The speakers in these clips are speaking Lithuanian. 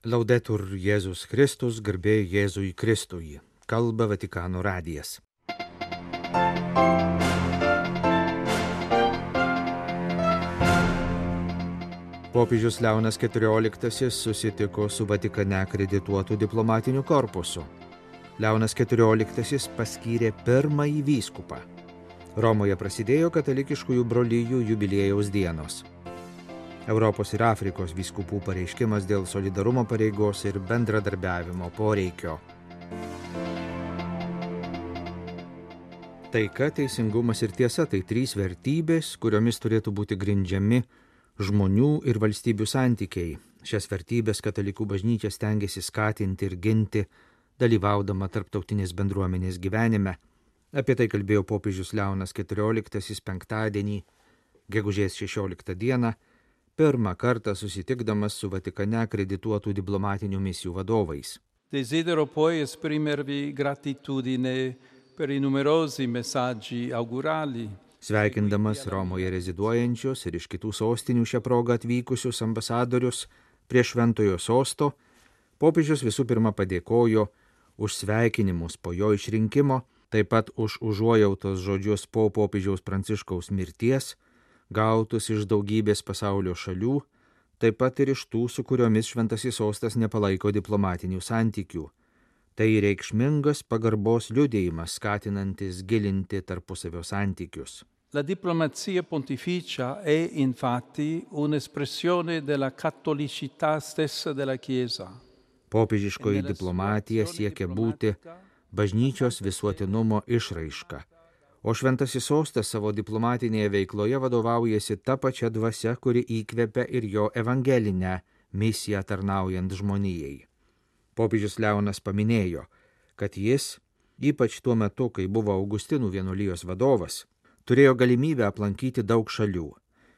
Laudetur Jėzus Kristus, garbė Jėzui Kristui. Kalba Vatikano radijas. Popiežius Leonas XIV susitiko su Vatikane akredituotu diplomatiniu korpusu. Leonas XIV paskyrė pirmąjį vyskupą. Romoje prasidėjo katalikiškųjų brolijų jubiliejaus dienos. Europos ir Afrikos vyskupų pareiškimas dėl solidarumo pareigos ir bendradarbiavimo poreikio. Taika, teisingumas ir tiesa – tai trys vertybės, kuriomis turėtų būti grindžiami žmonių ir valstybių santykiai. Šias vertybės katalikų bažnyčia stengiasi skatinti ir ginti, dalyvaudama tarptautinės bendruomenės gyvenime. Apie tai kalbėjo popiežius Leonas XIV penktadienį, gegužės 16 dieną, pirmą kartą susitikdamas su Vatikane akredituotų diplomatinių misijų vadovais. Desidero poi esprimervi gratitudine per I numerosi messaggi augurali. Sveikindamas Romoje reziduojančius ir iš kitų sostinių šią progą atvykusius ambasadorius prie Šventojo sosto, popiežius visų pirma padėkojo už sveikinimus po jo išrinkimo, taip pat už užuojautos žodžius po popiežiaus Pranciškaus mirties, gautus iš daugybės pasaulio šalių, taip pat ir iš tų, su kuriomis Šventasis sostas nepalaiko diplomatinių santykių. Tai reikšmingas pagarbos liudijimas, skatinantis gilinti tarpusavio santykius. La diplomazia pontificia è infatti un'espressione della cattolicità stessa della Chiesa. Popiežiškoji diplomatija siekia būti bažnyčios visuotinumo išraiška, o Šventasis sostas savo diplomatinėje veikloje vadovaujasi ta pačia dvasia, kuri įkvepia ir jo evangelinę misiją tarnaujant žmonijai. Popiežius Leonas paminėjo, kad jis, ypač tuo metu, kai buvo Augustinų vienuolijos vadovas, turėjo galimybę aplankyti daug šalių.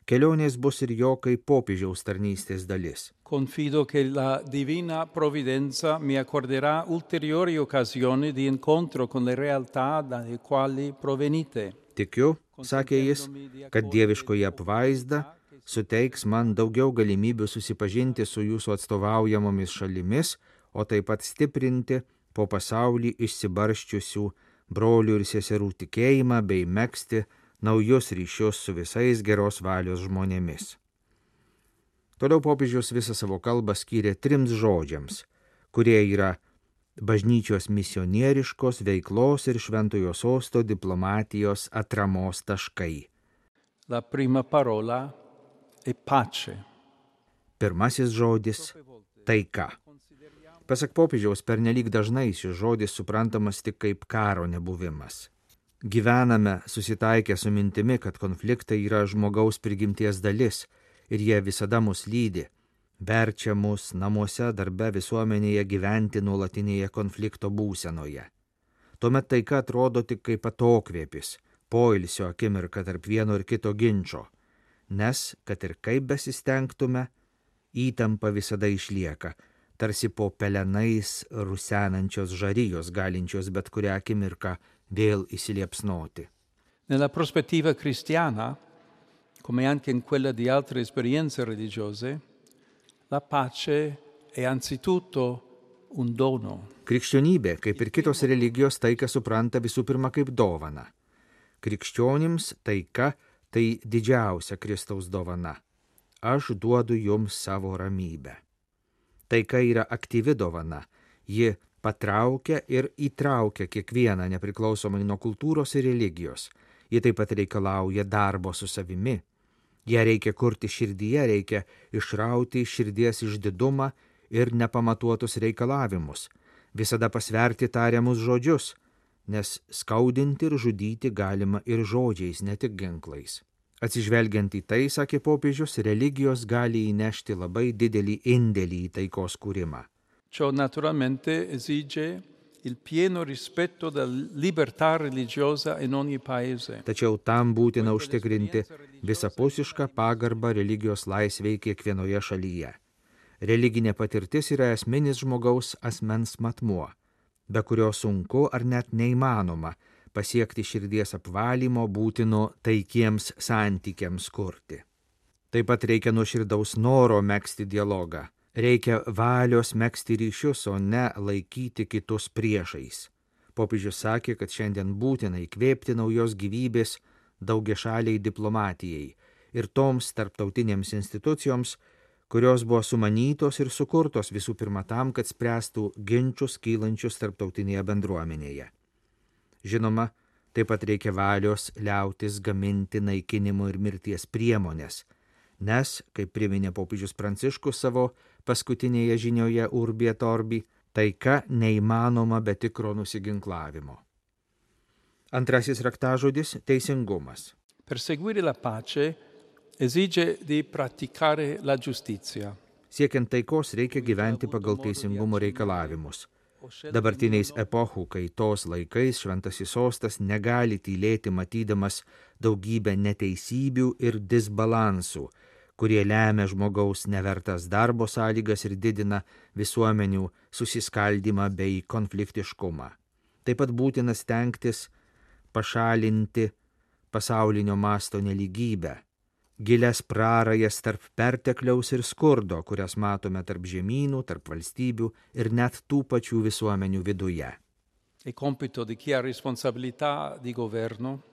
Kelionės bus ir jo kaip popiežiaus tarnystės dalis. Confido che la divina provvidenza mi accorderà ulteriori occasioni di incontro con le realtà dalle quali provenite. Tikiu, sakė jis, kad dieviškoji apvaizda suteiks man daugiau galimybių susipažinti su jūsų atstovaujamomis šalimis, o taip pat stiprinti po pasaulį išsibarščiusių brolių ir seserų tikėjimą bei megzti naujus ryšius su visais geros valios žmonėmis. Toliau popiežius visą savo kalbą skyrė 3 žodžiams, kurie yra bažnyčios misionieriškos veiklos ir Šventojo sosto diplomatijos atramos taškai. La prima parola è pace. Pirmasis žodis – taika. Pasak popiežiaus, pernelyg dažnai šis žodis suprantamas tik kaip karo nebuvimas. Gyvename susitaikę su mintimi, kad konfliktai yra žmogaus prigimties dalis ir jie visada mus lydi, verčia mus namuose, darbe, visuomenėje gyventi nuolatinėje konflikto būsenoje. Tuomet taika atrodo tik kaip atokvėpis, poilsio akimirka tarp vieno ir kito ginčo, nes, kad ir kaip besistengtume, įtampa visada išlieka, tarsi po pelenais rusenančios žarijos, galinčios bet kurią akimirką vėl įsiliepsnoti. Nella prospettiva cristiana, come anche in quella di altre esperienze religiose, la pace è anzitutto un dono. Krikščionybė, kaip ir kitos religijos, taiką supranta visų pirma kaip dovaną. Krikščionims taika tai didžiausia Kristaus dovana. Aš duodu jums savo ramybę. Taika yra aktyvi dovana. Ji patraukia ir įtraukia kiekvieną nepriklausomai nuo kultūros ir religijos. Ji taip pat reikalauja darbo su savimi. Ją reikia kurti širdyje, reikia išrauti iš širdies išdidumą ir nepamatuotus reikalavimus, visada pasverti tariamus žodžius, nes skaudinti ir žudyti galima ir žodžiais, ne tik ginklais. Atsižvelgiant į tai, sakė popiežius, religijos gali įnešti labai didelį indėlį į taikos kūrimą. Ciò naturalmente esige il pieno rispetto della libertà religiosa in ogni paese. Tačiau tam būtina užtikrinti visapusišką pagarbą religijos laisvei kiekvienoje šalyje. Religinė patirtis yra esminis žmogaus asmens matmuo, be kurio sunku ar net neįmanoma pasiekti širdies apvalymo būtino taikiems santykiams kurti. Taip pat reikia nuoširdaus noro megzti dialogą, Reikia valios megzti ryšius, o ne laikyti kitus priešais. Popiežius sakė, kad šiandien būtina įkvėpti naujos gyvybės daugiašaliai diplomatijai ir toms tarptautinėms institucijoms, kurios buvo sumanytos ir sukurtos visų pirma tam, kad spręstų ginčius kylančius tarptautinėje bendruomenėje. Žinoma, taip pat reikia valios liautis gaminti naikinimo ir mirties priemonės, nes, kaip priminė popiežius Pranciškus savo paskutinėje žinioje Urbi et Orbi, taika neįmanoma be tikro nusiginklavimo. Antrasis raktažodis – teisingumas. Perseguire la pace esige di praticare la giustizia. Siekiant taikos reikia gyventi pagal teisingumo reikalavimus. Dabartiniais epochų kaitos laikais Šventasis Sostas negali tylėti matydamas daugybę neteisybių ir disbalansų, kurie lemia žmogaus nevertas darbo sąlygas ir didina visuomenių susiskaldymą bei konfliktiškumą. Taip pat būtina stengtis pašalinti pasaulinio masto nelygybę, gilias prarajas tarp pertekliaus ir skurdo, kurias matome tarp žemynų, tarp valstybių ir net tų pačių visuomenių viduje. È compito di chi ha responsabilità di governo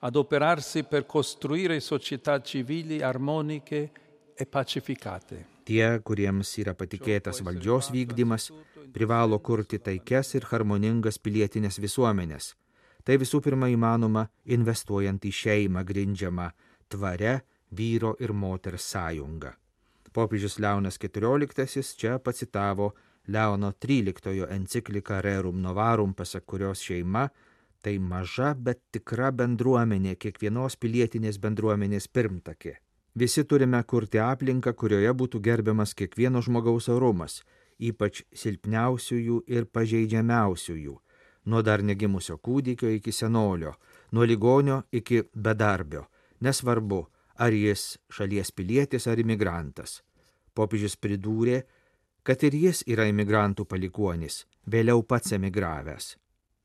adoperarsi per costruire società civili armoniche e pacificate. Tie, kuriems yra patikėtas valdžios vykdymas, privalo kurti taikias ir harmoningas pilietinės visuomenės. Tai visų pirma įmanoma investuojant į šeimą grindžiamą tvaria vyro ir moters sąjungą. Popiežius Leonas XIV čia pacitavo Leono XIII encikliką Rerum Novarum, pasak kurios šeima tai maža, bet tikra bendruomenė, kiekvienos pilietinės bendruomenės pirmtakė. Visi turime kurti aplinką, kurioje būtų gerbiamas kiekvieno žmogaus orumas, ypač silpniausiųjų ir pažeidžiamiausiųjų, nuo dar negimusio kūdikio iki senolio, nuo ligonio iki bedarbio, nesvarbu, ar jis šalies pilietis ar imigrantas. Popiežius pridūrė, kad ir jis yra imigrantų palikuonis, vėliau pats emigravęs.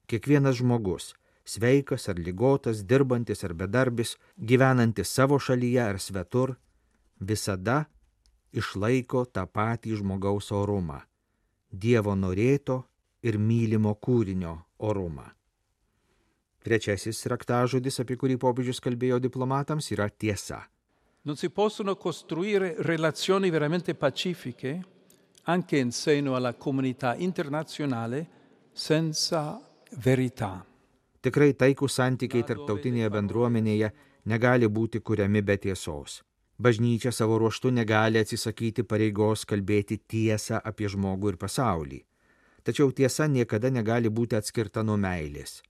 Kiekvienas žmogus, sveikas ar ligotas, dirbantis ar bedarbis, gyvenantis savo šalyje ar svetur, visada išlaiko tą patį žmogaus orumą, Dievo norėto ir mylimo kūrinio orumą. Trečiasis raktažodis, apie kurį popiežius kalbėjo diplomatams, yra tiesa. Non si possono costruire relazioni veramente pacifiche anche in seno alla comunità internazionale senza verità. Tikrai taikūs santykiai tarptautinėje bendruomenėje negali būti kuriami be tiesos. Bažnyčia savo ruožtu negali atsisakyti pareigos kalbėti tiesą apie žmogų ir pasaulį. Tačiau tiesa niekada negali būti atskirta nuo meilės,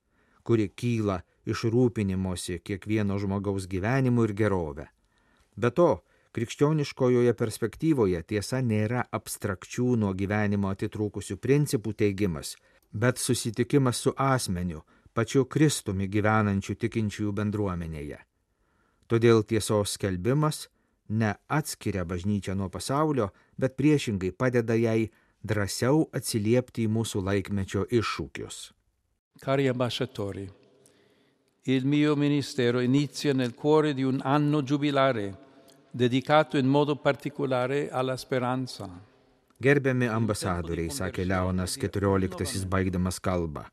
kuri kyla iš rūpinimosi kiekvieno žmogaus gyvenimu ir gerove. Be to, krikščioniškojoje perspektyvoje tiesa nėra abstrakčių nuo gyvenimo atitrūkusių principų teigimas, bet susitikimas su asmeniu, pačiu Kristumi gyvenančiu tikinčiųjų bendruomenėje. Todėl tiesos skelbimas neatskiria bažnyčią nuo pasaulio, bet priešingai padeda jai drąsiau atsiliepti į mūsų laikmečio iššūkius. Cari ambasciatori, il mio ministero inizia nel cuore di un anno giubilare dedicato in modo particolare alla speranza. Gerbiami ambasadoriai, sakė Leonas XIV baigdamas kalbą,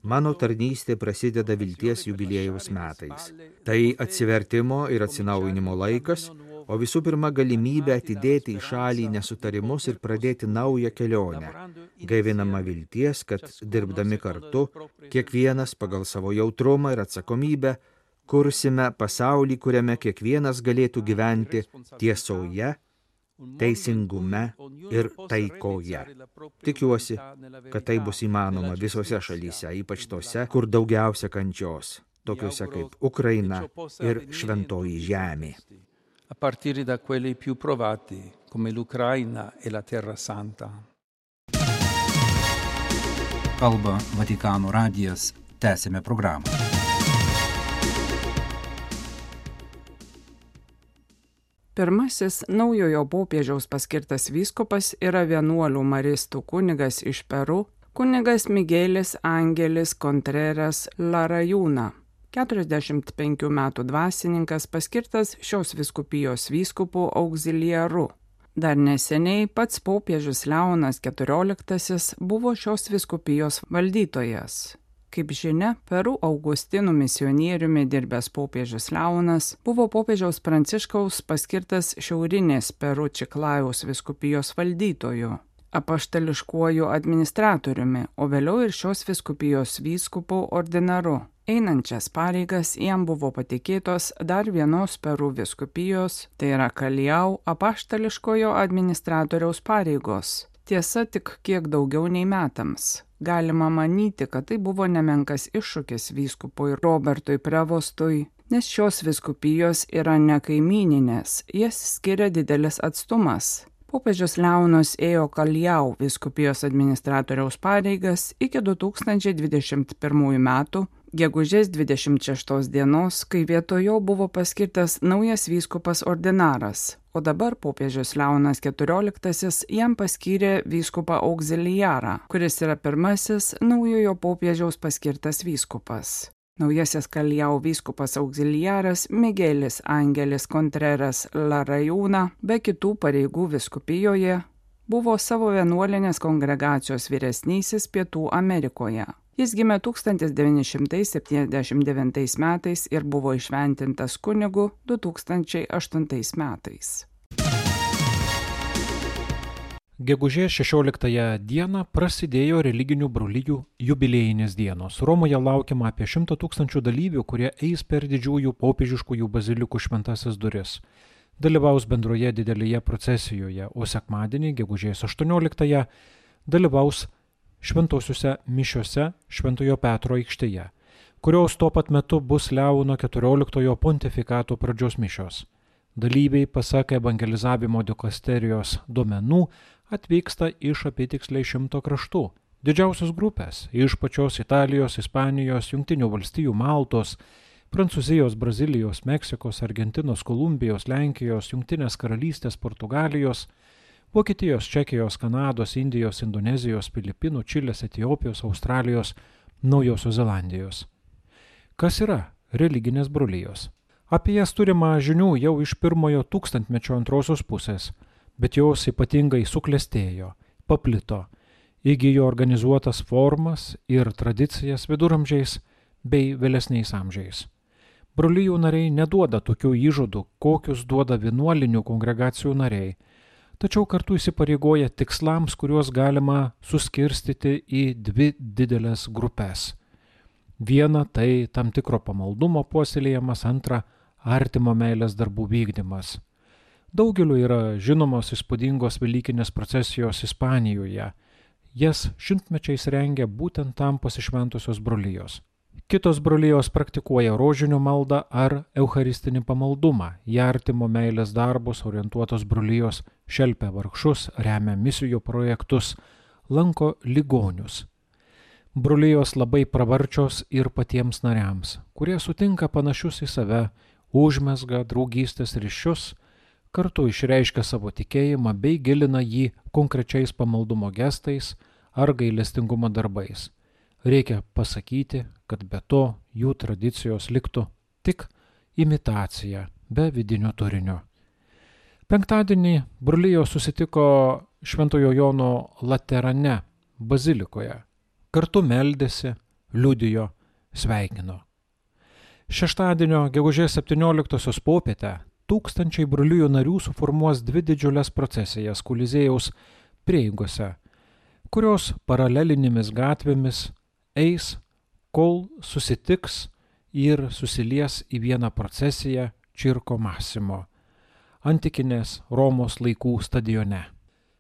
mano tarnystė prasideda vilties jubiliejaus metais. Tai atsivertimo ir atsinaujinimo laikas, o visų pirma galimybė atidėti į šalį nesutarimus ir pradėti naują kelionę, gaivinama vilties, kad dirbdami kartu, kiekvienas pagal savo jautrumą ir atsakomybę, kursime pasaulį, kuriame kiekvienas galėtų gyventi tiesoje, teisingume ir taikoje. Tikiuosi, kad tai bus įmanoma visose šalyse, ypač tose, kur daugiausia kančios, tokiuose kaip Ukraina ir Šventoji Žemė. A partire da quelli più provati, come l'Ucraina e la Terra Santa. Kalba Vatikano radijas, tęsime programą. Pirmasis naujojo popiežiaus paskirtas vyskupas yra vienuolių maristų kunigas iš Peru, kunigas Miguelis Angelis Contreras Larayuna. 45 metų dvasininkas paskirtas šios vyskupijos vyskupu auxiliaru. Dar neseniai pats popiežius Leonas XIV buvo šios vyskupijos valdytojas. Kaip žinia, Peru Augustinų misionieriumi dirbęs popiežius Leonas buvo popiežiaus Pranciškaus paskirtas šiaurinės Peru Čiklajaus vyskupijos valdytoju, apaštališkuoju administratoriumi, o vėliau ir šios vyskupijos vyskupu ordinaru. Einančias pareigas jam buvo patikėtos dar vienos Peru vyskupijos, tai yra Kaljau apaštališkojo administratoriaus pareigos. Tiesa, tik kiek daugiau nei metams. Galima manyti, kad tai buvo nemenkas iššūkis vyskupui Robertui Prevostui, nes šios vyskupijos yra ne kaimyninės, jas skiria didelis atstumas. Popiežius Leonas ėjo Kaljau vyskupijos administratoriaus pareigas iki 2021 metų, gegužės 26 dienos, kai vietojo buvo paskirtas naujas vyskupas ordinaras, o dabar popiežius Leonas XIV jam paskyrė vyskupą auxiliarą, kuris yra pirmasis naujojo popiežiaus paskirtas vyskupas. Naujasis Kaljau vyskupas auxiliaras Miguelis Angelis Contreras Larayuna, be kitų pareigų vyskupijoje, buvo savo vienuolinės kongregacijos vyresnysis Pietų Amerikoje. Jis gimė 1979 metais ir buvo įšventintas kunigu 2008 metais. Gegužės 16 dieną prasidėjo religinių brolijų jubiliejinės dienos. Romoje laukiama apie 100 000 dalyvių, kurie eis per didžiųjų popiežiškųjų bazilikų šventasis duris. Dalyvaus bendroje didelėje procesijoje, o sekmadienį, gegužės 18, dalyvaus šventosiuose mišiose Šventojo Petro aikštėje, kurios tuo pat metu bus Leono XIV pontifikato pradžios mišios. Dalyviai, pasak evangelizavimo dikasterijos duomenų, atvyksta iš apytiksliai 100 kraštų. Didžiausios grupės iš pačios Italijos, Ispanijos, Jungtinių valstijų, Maltos, Prancūzijos, Brazilijos, Meksikos, Argentinos, Kolumbijos, Lenkijos, Jungtinės karalystės, Portugalijos, Vokietijos, Čekijos, Kanados, Indijos, Indonezijos, Filipinų, Čilės, Etiopijos, Australijos, Naujosios Zelandijos. Kas yra religinės brolijos? Apie jas turima žinių jau iš pirmojo tūkstantmečio antrosios pusės, bet jos ypatingai suklestėjo, paplito, įgijo organizuotas formas ir tradicijas viduramžiais bei vėlesniais amžiais. Brolijų nariai neduoda tokių įžadų, kokius duoda vienuolinių kongregacijų nariai, tačiau kartu įsipareigoja tikslams, kuriuos galima suskirstyti į dvi didelės grupės. Viena tai tam tikro pamaldumo puoselėjimas, antra artimo meilės darbų vykdymas. Daugeliu yra žinomos įspūdingos velykinės procesijos Ispanijoje. Jas šimtmečiais rengia būtent tam pasišventusios brolijos. Kitos brolijos praktikuoja rožinių maldą ar eucharistinį pamaldumą. Į artimo meilės darbus orientuotos brolijos šelpia vargšus, remia misijų projektus, lanko ligonius. Brolijos labai pravarčios ir patiems nariams, kurie sutinka panašius į save, užmezga draugystės ryšius, kartu išreiškia savo tikėjimą bei gilina jį konkrečiais pamaldumo gestais ar gailestingumo darbais. Reikia pasakyti, kad be to jų tradicijos liktų tik imitacija, be vidinio turinio. Penktadienį brolijos susitiko Šventojo Jono Laterane bazilikoje. Kartu meldėsi, liudijo, sveikino. Šeštadienio gegužės 17 popietę tūkstančiai brolijų narių suformuos dvi didžiulės procesijas Koliziejaus prieigose, kurios paralelinėmis gatvėmis eis, kol susitiks ir susilies į vieną procesiją Circo Massimo, antikinės Romos laikų stadione.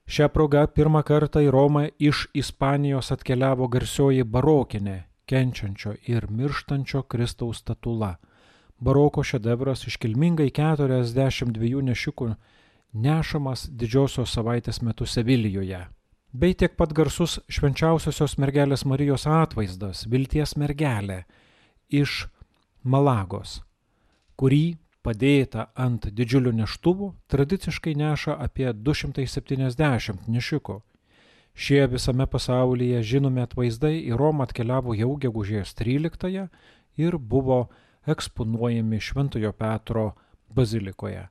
Šią progą pirmą kartą į Romą iš Ispanijos atkeliavo garsioji barokinė, kenčiančio ir mirštančio Kristaus statula. Baroko šedevras iškilmingai 42 nešikų nešamas didžiosios savaitės metu Sevilijoje. Bei tiek pat garsus švenčiausiosios mergelės Marijos atvaizdas, vilties mergelė iš Malagos, kurį padėta ant didžiulių neštuvų tradiciškai neša apie 270 nešikų. Šie visame pasaulyje žinomi atvaizdai į Romą atkeliavo jau gegužės 13 ir buvo eksponuojami Šventojo Petro bazilikoje.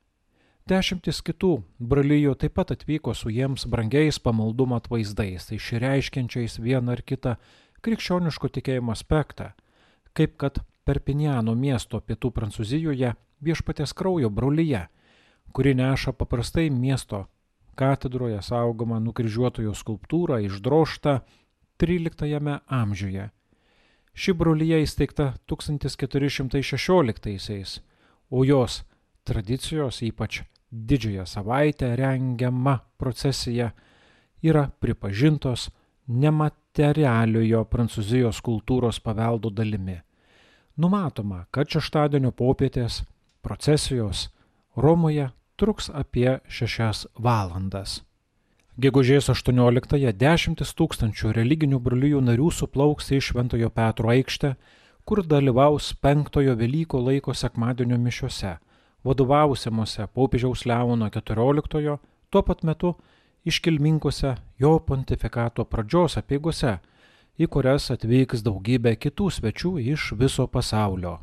Dešimtis kitų brolijų taip pat atvyko su jiems brangiais pamaldumo atvaizdais, išreiškiančiais vieną ar kitą krikščioniško tikėjimo aspektą, kaip kad Perpiniano miesto pietų Prancūzijoje Viešpaties kraujo brolija, kuri neša paprastai miesto katedroje saugomą nukryžiuotojo skulptūrą išdrožtą XIII amžiuje. Ši brolija įsteigta 1416-aisiais, o jos tradicijos, ypač Didžiąją savaitę rengiama procesija, yra pripažintos nematerialiojo Prancūzijos kultūros paveldo dalimi. Numatoma, kad šeštadienio popietės procesijos Romoje truks apie 6 valandas. Gegužės 18-ąją 10 000 religinių brolijų narių suplauks į Šventojo Petro aikštę, kur dalyvaus 5 Velykų laiko sekmadienio mišiose, vadovausiamuose popiežiaus Leono XIV, tuo pat metu iškilmingose jo pontifikato pradžios apeigose, į kurias atvyks daugybė kitų svečių iš viso pasaulio.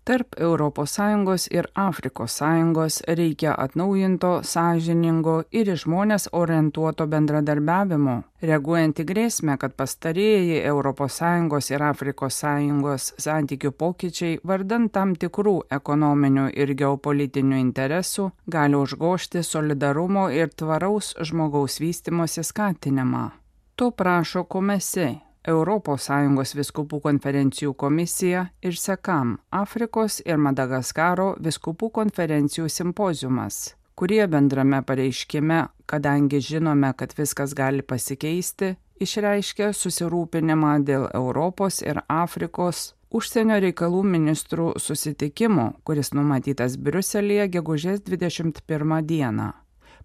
Tarp ES ir Afrikos Sąjungos reikia atnaujinto, sąžiningo ir į žmones orientuoto bendradarbiavimo, reaguojant į grėsmę, kad pastarieji ES ir Afrikos Sąjungos santykių pokyčiai vardan tam tikrų ekonominių ir geopolitinių interesų gali užgožti solidarumo ir tvaraus žmogaus vystymosi skatinimą. To prašo Komesi, ES vyskupų konferencijų komisija ir SECAM, Afrikos ir Madagaskaro vyskupų konferencijų simpoziumas, kurie bendrame pareiškime, kadangi žinome, kad viskas gali pasikeisti, išreiškė susirūpinimą dėl Europos ir Afrikos užsienio reikalų ministrų susitikimo, kuris numatytas Briuselyje gegužės 21 dieną.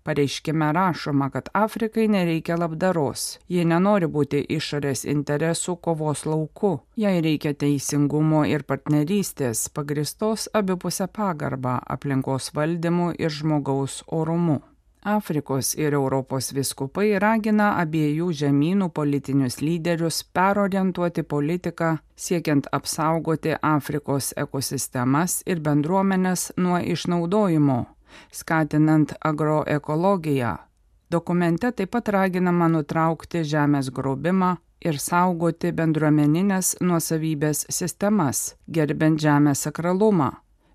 Pareiškime rašoma, kad Afrikai nereikia labdaros, jie nenori būti išorės interesų kovos lauku, jai reikia teisingumo ir partnerystės, pagristos abipusę pagarbą, aplinkos valdymu ir žmogaus orumu. Afrikos ir Europos vyskupai ragina abiejų žemynų politinius lyderius perorientuoti politiką, siekiant apsaugoti Afrikos ekosistemas ir bendruomenes nuo išnaudojimo, skatinant agroekologiją. Dokumente taip pat raginama nutraukti žemės grobimą ir saugoti bendruomeninės nuosavybės sistemas, gerbent žemės sakralumą.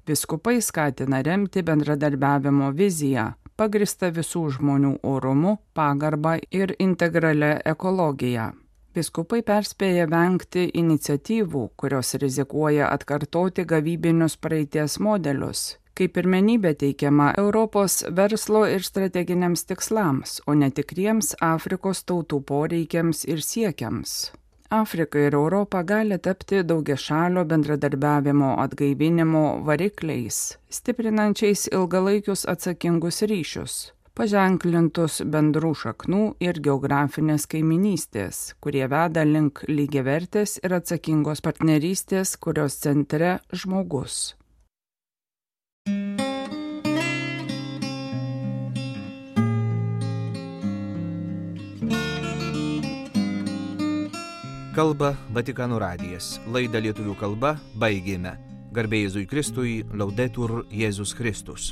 Vyskupai skatina remti bendradarbiavimo viziją, pagristą visų žmonių orumu, pagarba ir integralia ekologija. Vyskupai perspėja vengti iniciatyvų, kurios rizikuoja atkartoti gavybinius praeities modelius, kaip pirmenybė teikiama Europos verslo ir strateginiams tikslams, o ne tikriems Afrikos tautų poreikiams ir siekiams. Afrika ir Europa gali tapti daugiašalio bendradarbiavimo atgaivinimo varikliais, stiprinančiais ilgalaikius atsakingus ryšius, paženklintus bendrų šaknų ir geografinės kaiminystės, kurie veda link lygiavertės ir atsakingos partnerystės, kurios centre žmogus. Kalba Vatikano radijas. Laidą lietuvių kalba baigėme. Garbė Jėzui Kristui, Laudetur Jėzus Kristus.